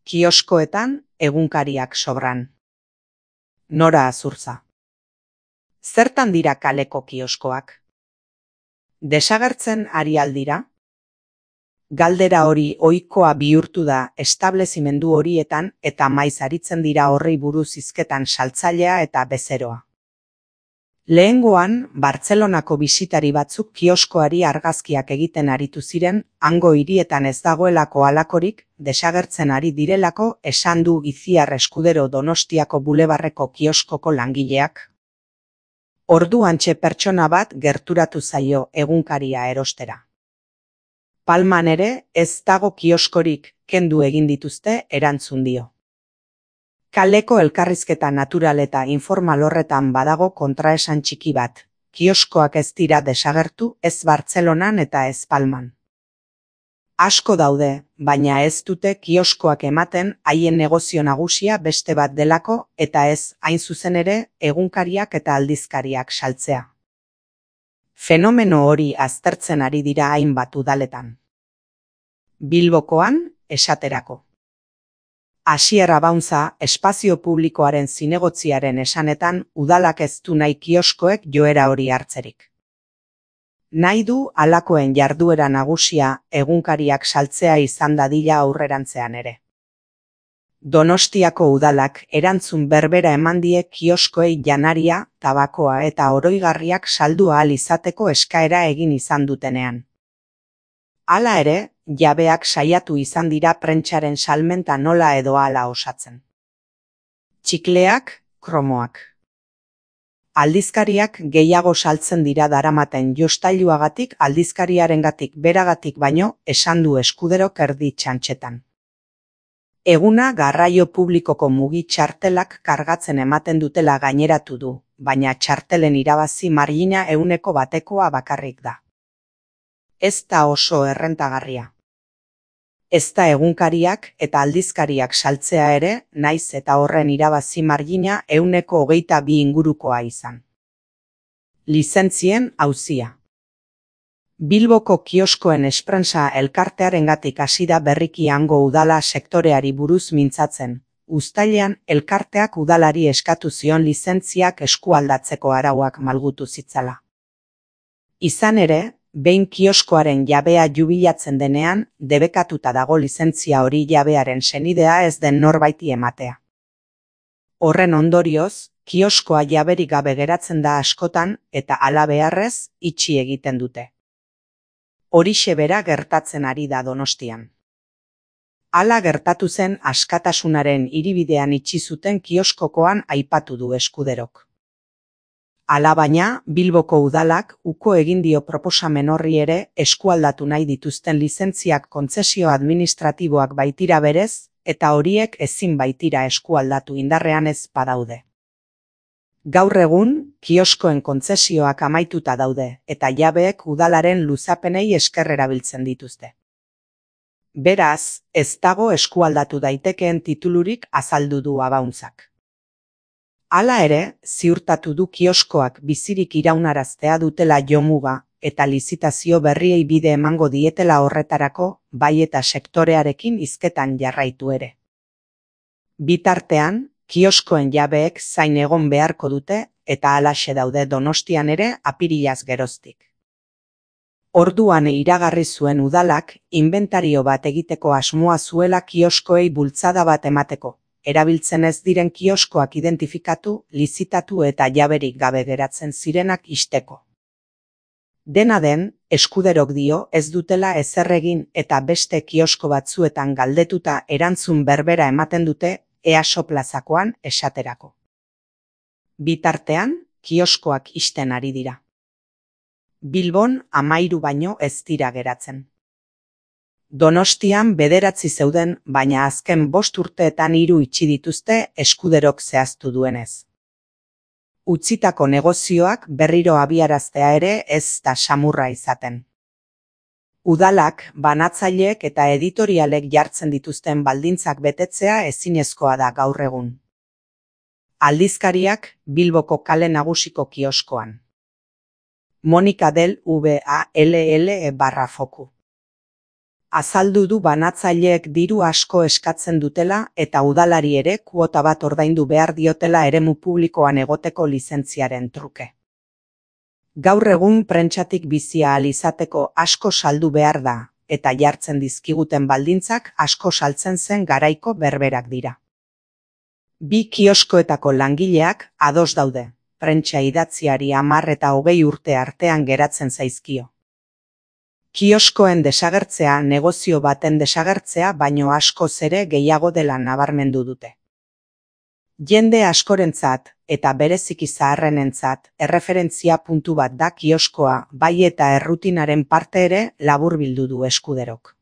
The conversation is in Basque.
Kioskoetan egunkariak sobran. Nora Azurza. Zertan dira kaleko kioskoak? Desagertzen ari aldira? Galdera hori ohikoa bihurtu da establezimendu horietan eta maiz aritzen dira horrei buruz hizketan saltzailea eta bezeroa. Lehengoan, Bartzelonako bisitari batzuk kioskoari argazkiak egiten aritu ziren, hango hirietan ez dagoelako halakorik, desagertzen ari direlako esan du Itziar Eskudero Donostiako bulebarreko kioskoko langileak. Orduantxe pertsona bat gerturatu zaio egunkaria erostera. Palman ere ez dago kioskorik, kendu egin dituzte erantzun dio. Kaleko elkarrizketa natural eta informal horretan badago kontraesan txiki bat. Kioskoak ez dira desagertu, ez Bartzelonan eta ez Palman. Asko daude, baina ez dute kioskoak ematen haien negozio nagusia beste bat delako eta ez, hain zuzen ere, egunkariak eta aldizkariak saltzea. Fenomeno hori aztertzen ari dira hainbat udaletan. Bilbokoan, esaterako. Asier Abauntza, espazio publikoaren zinegotziaren esanetan, udalak ez du nahi kioskoek joera hori hartzerik. Nahi du halakoen jarduera nagusia egunkariak saltzea izan dadila aurrerantzean ere. Donostiako udalak erantzun berbera eman die kioskoei janaria, tabakoa eta oroigarriak saldu ahal izateko eskaera egin izan dutenean. Hala ere, jabeak saiatu izan dira prentsaren salmenta nola edo hala osatzen. Txikleak, kromoak. Aldizkariak gehiago saltzen dira daramaten jostailuagatik aldizkariarengatik beragatik baino esan du Eskuderok erdi txantxetan. Eguna garraio publikoko mugi txartelak kargatzen ematen dutela gaineratu du, baina txartelen irabazi margina 100%koa bakarrik da. Ez da oso errentagarria. Ez da egunkariak eta aldizkariak saltzea ere, naiz eta horren irabazi margina 122 ingurukoa izan. Lizentzien auzia. Bilboko kioskoen esprensa elkartearengatik hasi da berriki hango udala sektoreari buruz mintzatzen. Uztailean elkarteak udalari eskatu zion lizentziak eskualdatzeko arauak malgutu zitzala. Izan ere, behin kioskoaren jabea jubilatzen denean, debekatuta dago lizentzia hori jabearen senidea ez den norbaiti ematea. Horren ondorioz, kioskoa jaberik gabe geratzen da askotan eta hala beharrez itxi egiten dute. Horixe bera gertatzen ari da Donostian. Hala gertatu zen Askatasunaren hiribidean itxi zuten kioskokoan aipatu du Eskuderok. Alabaina, Bilboko udalak uko egin dio proposamen horri ere eskualdatu nahi dituzten lizentziak kontzesio administratiboak baitira berez, eta horiek ezin baitira eskualdatu indarrean ez badaude. Gaur egun, kioskoen kontzesioak amaituta daude, eta jabeek udalaren luzapenei esker erabiltzen dituzte. Beraz, ez dago eskualdatu daitekeen titulurik azaldu du Abauntzak. Hala ere, ziurtatu du kioskoak bizirik iraunaraztea dutela jomuga eta lizitazio berriei bide emango dietela horretarako, bai eta sektorearekin hizketan jarraitu ere. Bitartean, kioskoen jabeek zain egon beharko dute eta halaxe daude Donostian ere apirilaz geroztik. Orduan iragarri zuen udalak inbentario bat egiteko asmoa zuela kioskoei bultzada bat emateko. Erabiltzen ez diren kioskoak identifikatu, lizitatu eta jaberik gabe geratzen zirenak ixteko. Dena den, Eskuderok dio ez dutela ezer egin eta beste kiosko batzuetan galdetuta erantzun berbera ematen dute EASO plazakoan esaterako. Bitartean, kioskoak ixten ari dira. Bilbon 13 baino ez dira geratzen. Donostian 9 zeuden, baina azken 5 urteetan 3 itxi dituzte Eskuderok zehaztu duenez. Utzitako negozioak berriro abiaraztea ere ez da samurra izaten. Udalak, banatzaileek eta editorialek jartzen dituzten baldintzak betetzea ezinezkoa da gaur egun. Aldizkariak Bilboko kale nagusiko kioskoan. Monika del VALL /Foku. Azaldu du banatzaileek diru asko eskatzen dutela eta udalari ere kuota bat ordaindu behar diotela eremu publikoan egoteko lizentziaren truke. Gaur egun prentsatik bizi ahal izateko asko saldu behar da, eta jartzen dizkiguten baldintzak asko saltzen zen garaiko berberak dira. Bi kioskoetako langileak ados daude, prentsa idatziari 10 eta 20 urte artean geratzen zaizkio. Kioskoen desagertzea negozio baten desagertzea baino askoz ere gehiago dela nabarmendu dute. Jende askorentzat eta bereziki zaharrenentzat erreferentzia puntu bat da kioskoa, bai eta errutinaren parte ere laburbildu du Eskuderok.